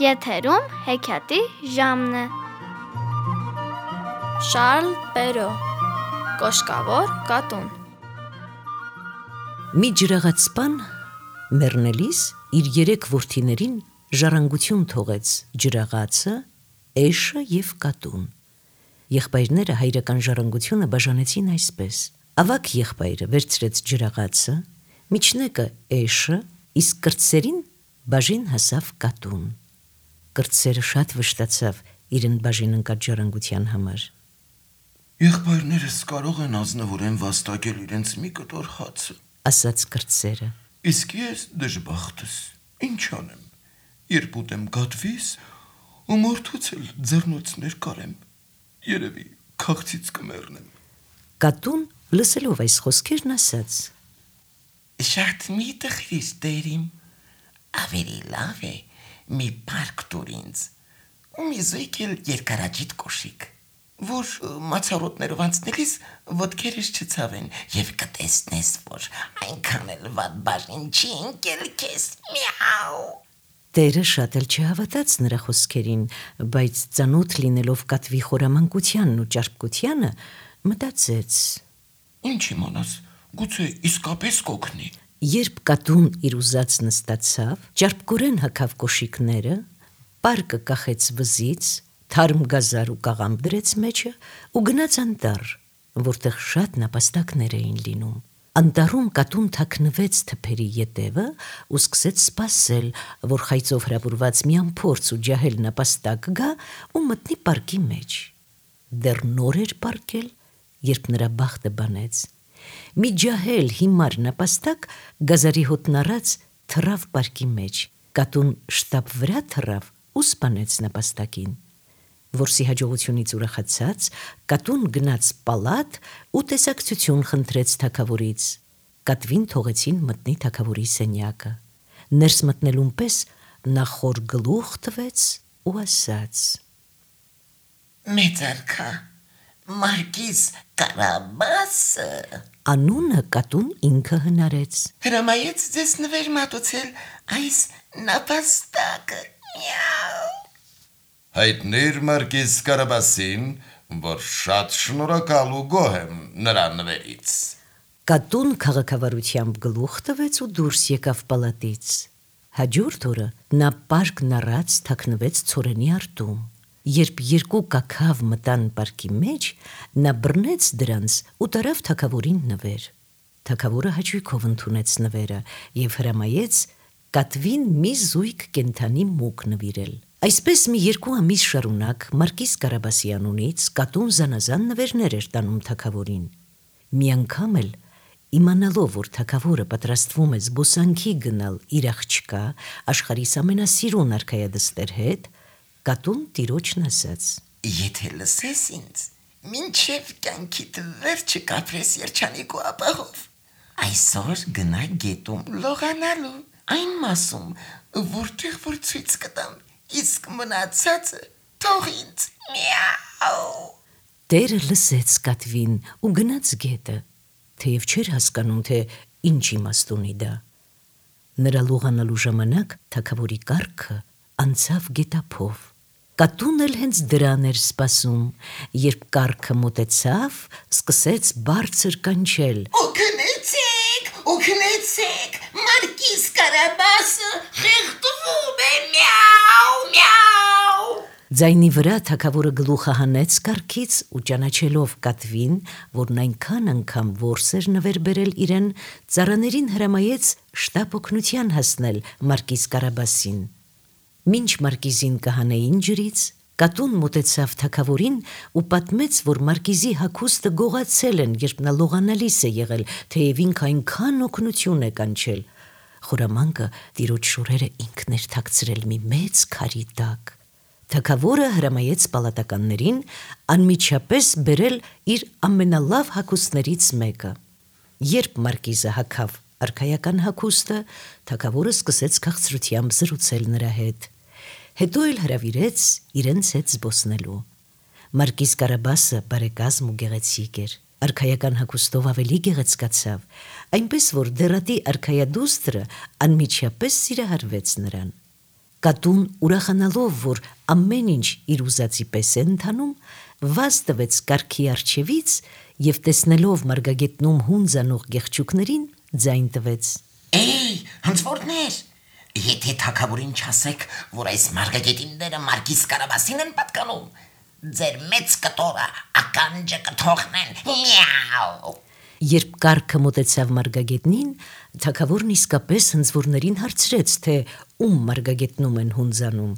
Եթերում հեքիաթի ժամն է։ Շարլ Պերո Կոշկավոր կատուն։ Մի ջրաղացպան մեռնելիս իր 3 որդիներին ժառանգություն թողեց ջրաղացը, էշը և կատուն։ Եղբայրները հայրական ժառանգությունը բաժանեցին այսպես. ավագ եղբայրը վերցրեց ջրաղացը, միջնեկը էշը, իսկ կրտսերին բաժին հասավ կատուն։ Կրտսերը շատ վշտացավ իրեն բաժին ընկած ժառանգության համար։ Եղբայրներս կարող են ազնվորեն վաստակել իրենց մի կտոր հացը, ասաց կրտսերը։ իսկ ես դժբախտս, ինչ անեմ, երբ ուտեմ գատվիս ու մորթուց էլ ձեռնոցներ կարեմ, երևի քաղցից կմեռնեմ։ Կատուն լսելով այս խոսքերն ասաց. Շատ մի տխրիր տերիմ, ավելի լավ է մի պարկ տուր ինձ ու մի զույգ էլ երկարաջիտ կոշիկ, որ մացառոտներով անցնելիս ոտքերս չցավեն և կտեսնես, որ այնքան էլ վատ բաժին չի ընկել քեզ, միաու։ Տերը շատ էլ չհավատաց նրա խոսքերին, բայց ծանոթ լինելով կատվի խորամանկությանն ու ճարպկությանը, մտածեց. Ինչ իմանաս, գուցե իսկապես կօգնի։ Երբ կատուն իր ուզած նստացավ, ճարպկորեն հագավ կոշիկները, պարկը կախեց վզից, թարմ գազար ու կաղամբ դրեց մեջը ու գնաց անտառ, որտեղ շատ նապաստակներ էին լինում։ Անտառում կատուն թաքնվեց թփերի ետևը ու սկսեց սպասել, որ խայծով հրապուրված մի անփորձ ու ջահել նապաստակ գա ու մտնի պարկի մեջ։ Դեռ նոր էր պարկել, երբ նրա բախտը բանեց։ Մի ջահել հիմար նապաստակ գազարի հոտն առած թռավ պարկի մեջ։ Կատուն շտապ վրա թռավ ու սպանեց նապաստակին։ Որսի հաջողությունից ուրախացած, կատուն գնաց պալատ ու տեսակցություն խնդրեց թագավորից։ Կատվին թողեցին մտնի թագավորի սենյակը։ Ներս մտնելուն պես նա խոր գլուխ տվեց ու ասաց. Մեծարքա, Մարկիս Կարաբասը Անունը կատուն ինքը հնարեց։ հրամայեց ձեզ նվեր մատուցել այս նապաստակը, միաու։ Հայտնիր Մարկիս Կարաբասին, որ շատ շնորհակալ ու գոհ եմ նրա նվերից։ Կատուն քաղաքավարությամբ գլուխ տվեց ու դուրս եկավ պալատից։ Հաջորդ օրը նա պարկն առած թաքնվեց ցորենի արտում։ Երբ 2 կաքավ մտան պարկի մեջ, նա բռնեց դրանց ու տարավ թագավորին նվեր։ Թագավորը հաճույքով ընդունեց նվերը և հրամայեց կատվին մի զույգ կենդանի մուկ նվիրել։ Այսպես մի 2 ամիս շարունակ Մարկիս Կարաբասի անունից կատուն զանազան նվերներ էր տանում թագավորին։ Մի անգամ էլ, իմանալով, որ թագավորը պատրաստվում է զբոսանքի գնալ իր աղջկա, աշխարհիս ամենասիրուն արքայադստեր հետ, կատուն տիրոջն ասաց. Եթե լսես ինձ, մինչև կյանքիդ վերջը կապրես երջանիկ ու ապահով, այսօր գնա գետում լողանալու, այն մասում, որտեղ որ ցույց կտամ, իսկ մնացածը թող ինձ, միաու։ Տերը լսեց կատվին ու գնաց գետը, թեև չէր հասկանում, թե ինչ իմաստ ունի դա։ Նրա լողանալու ժամանակ թագավորի կառքը անցավ գետափով։ Կատուն էլ հենց դրան էր սպասում, երբ կառքը մոտեցավ, սկսեց բարձր կանչել. Օգնեցեք, օգնեցեք, Մարկիս Կարաբասը խեղդվում է, միաու, միաու։ Ձայնի վրա թագավորը գլուխը հանեց կառքից ու ճանաչելով կատվին, որն այնքան անգամ որս էր նվեր բերել իրեն, ծառաներին հրամայեց շտապ օգնության հասնել Մարկիս Կարաբասին։ Մինչ Մարկիզին կհանեին ջրից, կատուն մոտեցավ թագավորին ու պատմեց, որ Մարկիզի հագուստը գողացել են, երբ նա լողանալիս է եղել, թեև ինքը այնքան օգնություն է կանչել։ Խորամանկը տիրոջ շորերը ինքն էր թաքցրել մի մեծ քարի տակ։ Թագավորը հրամայեց պալատականներին անմիջապես բերել իր ամենալավ հագուստներից մեկը։ Երբ Մարկիզը հագավ արքայական հագուստը, թագավորը սկսեց քաղցրությամբ զրուցել նրա հետ։ Հետո էլ հրավիրեց իրենց հետ զբոսնելու։ Մարկիս Կարաբասը բարեկազմ ու գեղեցիկ էր։ Արքայական հագուստով ավելի գեղեցկացավ, այնպես որ դեռատի արքայադուստրը անմիջապես սիրահարվեց նրան։ Կատուն ուրախանալով, որ ամեն ինչ իր ուզածի պես է ընթանում, վազ տվեց կառքի առջևից և տեսնելով մարգագետնում հունձանող գեղչուկներին, ձայն տվեց. Էй, հնձվորներ, եթե թագավորին չասեք, որ այս մարգագետինները Մարգիս Կարաբասին են պատկանում, ձեր մեծ կտորը ականջը կթողնեն, միաու։ Երբ կառքը մոտեցավ մարգագետնին, թագավորն իսկապես հնձվորներին հարցրեց, թե ում մարգագետնում են հունձանում։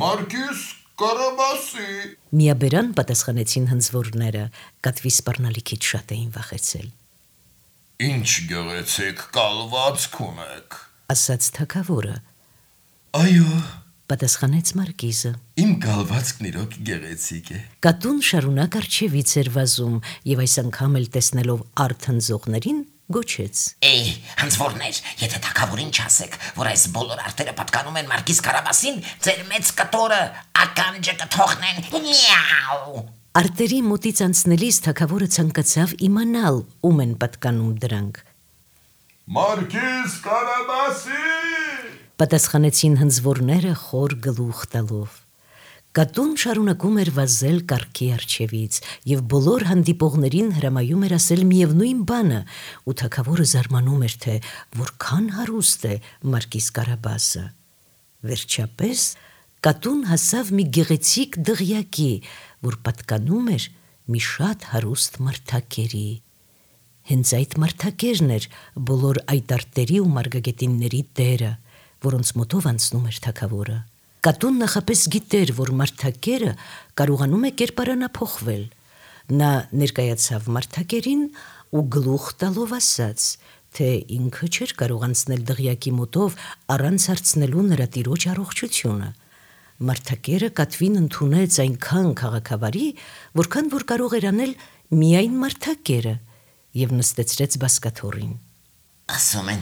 Մարգիս Կարաբասի։ Միաբերան պատասխանեցին հնձվորները, կատվի սպառնալիքից շատ էին վախեցել։ Ինչ գեղեցիկ կալվածք ունեք։ Ասաց թագավորը, Այո, պատասխանեց մարգիզը։ իմ կալվածքն իրոք գեղեցիկ է։ Կատուն շարունակ առջևից էր վազում և այս անգամ էլ տեսնելով արդ հնձողներին գոչեց. Էй, հնձվորներ, եթե թագավորին չասեք, որ այս բոլոր արտերը պատկանում են Մարգիս Կարաբասին, ձեր մեծ կտորը ականջը կթողնեն, միաու։ Արտերի մոտից անցնելիս թագավորը ցանկացավ իմանալ ում են պատկանում դրանք։ Մարգիս Կարաբասի։ Պատասխանեցին հնձվորները խոր գլուխ տալով։ Կատուն շարունակում էր վազել կառքի առջևից և բոլոր հանդիպողներին հրամայում էր ասել միևնույն բանը, ու թագավորը զարմանում էր, թե որքան հարուստ է Մարգիս Կարաբասը։ Վերջապես կատուն հասավ մի գեղեցիկ դղյակի, որ պատկանում էր մի շատ հարուստ մարդակերի։ Հենց այդ մարդակերն էր բոլոր այդ արտերի ու մարգագետինների տերը, որոնց մոտով անցնում էր թագավորը։ Կատուն նախապես գիտեր, որ մարդակերը կարողանում է կերպարանափոխվել։ Նա ներկայացավ մարդակերին ու գլուխ տալով ասաց, թե ինքը չէր կարող անցնել դղյակի մոտով առանց հարցնելու նրա տիրոջ առողջությունը։ Մարդակերը կատվին ընդունեց այնքան քաղաքավարի, որքան որ կարող էր անել միայն մարդակերը, և նստեցրեց բազկաթոռին։ Ասում են,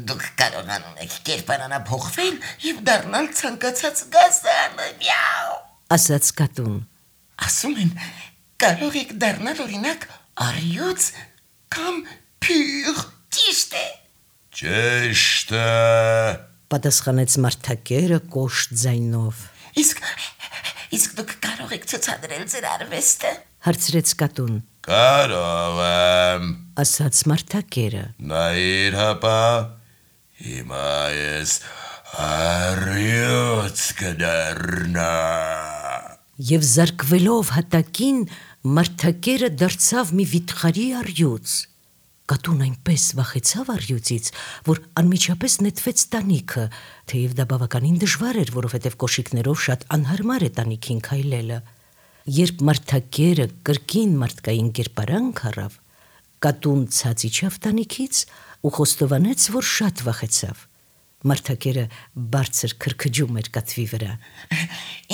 դուք կարողանում եք կերպարանափոխվել և դառնալ ցանկացած գազանը, միաու։ Ասաց կատուն։ Ասում են, կարող եք դառնալ օրինակ առյուծ կամ փիղ, ճիշտ է։ Ճիշտ է։ Պատասխանեց մարդակերը կոշտ ձայնով։ Իսկ դուք կարող եք ցուցադրել ձեր արվեստը։ Հարցրեց կատուն։ Կարող եմ։ Ասաց մարդակերը։ Նայիր հապա, հիմա ես առյուծ կդառնա։ Եվ զարկվելով հատակին, մարդակերը դարձավ մի վիթխարի առյուծ։ Կատուն այնպես վախեցավ առյուծից, որ անմիջապես նետվեց տանիքը, թեև դա բավականին դժվար էր, որովհետև կոշիկներով շատ անհարմար է տանիքին քայլելը։ Երբ մարդակերը կրկին մարդկային կերպարանք առավ, կատուն ցած իջավ տանիքից ու խոստովանեց, որ շատ վախեցավ։ Մարդակերը բարձր քրքջում էր կատվի վրա։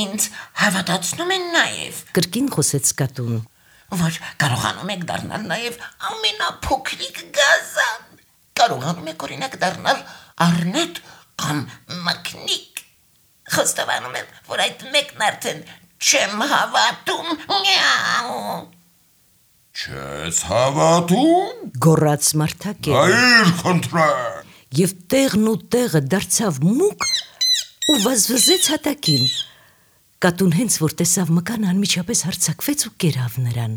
Ինձ հավատացնում են նաև, Կրկին խոսեց կատուն։ որ կարողանում եք դառնալ նաև ամենափոքրիկ գազան։ Կարողանում եք օրինակ դառնալ առնետ կամ մկնիկ։ Խոստովանում եմ, որ այդ մեկն արդեն չեմ հավատում, միաու։ Չես հավատում։ Գոռաց մարդակերը։ Նայիր խնդրեմ։ Եվ տեղն ու տեղը դարձավ մուկ ու վազվզեց հատակին։ Կատուն հենց որ տեսավ մկանը, անմիջապես հարձակվեց ու կերավ նրան։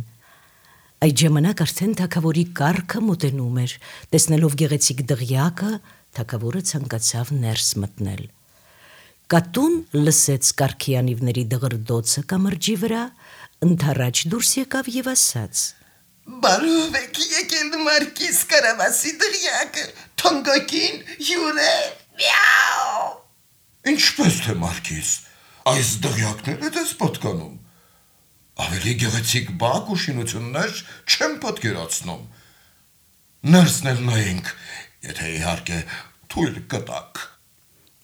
Այդ ժամանակ արդեն թագավորի կառքը մոտենում էր։ Տեսնելով գեղեցիկ դղյակը, թագավորը ցանկացավ ներս մտնել։ Կատուն լսեց կառքի անիվների դղրդոցը կամրջի վրա, ընդառաջ դուրս եկավ և ասաց. Բարով եք եկել Մարգիս Կարաբասի դղյակը, թանկագին հյուրեր, միաու։ Ինչպես թե Մարգիս, այս դղյակները դες պատկանում։ Ավելի գեղեցիկ բակ ու շինություններ չեմ պատկերացնում։ Ներսնել նայենք, եթե իհարկե թույլ կտաք։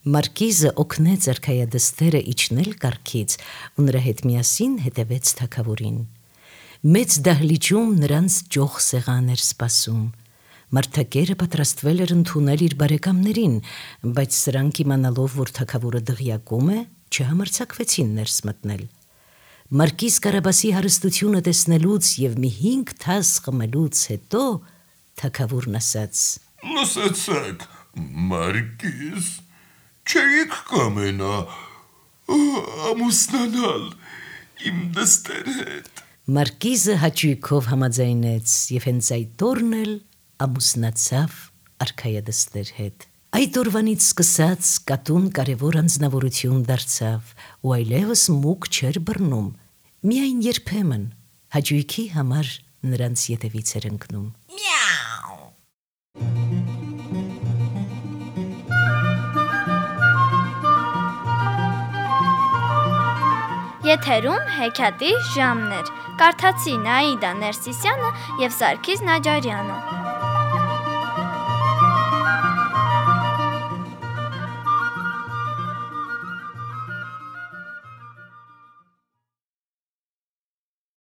Մարկիզը օգնեց արքայադստերը իջնել կառքից ու նրա հետ միասին հետևեց թագավորին։ Մեծ դահլիճում նրանց ճոխ սեղան էր սպասում։ Մարդակերը պատրաստվել էր ընդունել իր բարեկամներին, բայց սրանք իմանալով, որ թագավորը դղյակում է, չհամարձակվեցին ներս մտնել։ Մարգիս Կարաբասի հարստությունը տեսնելուց և մի 5 թաս խմելուց հետո թագավորն ասաց. Լսեցեք, Մարգիս, չէիք կամենա ամուսնանալ իմ դստեր հետ։ Մարկիզը հաճույքով համաձայնեց եւ հենց այդ օրն էլ ամուսնացավ արքայադստեր հետ։ Այդ օրվանից սկսած կատուն կարևոր անձնավորություն դարձավ ու այլևս մուկ չէր բռնում, միայն երբեմն հաճույքի համար նրանց ետևից էր ընկնում։ Միաու։ Եթերում հեքիաթի ժամն էր։ Կարդացի Նաիդա Ներսիսյանը եւ Սարգիս Նաջարյանը։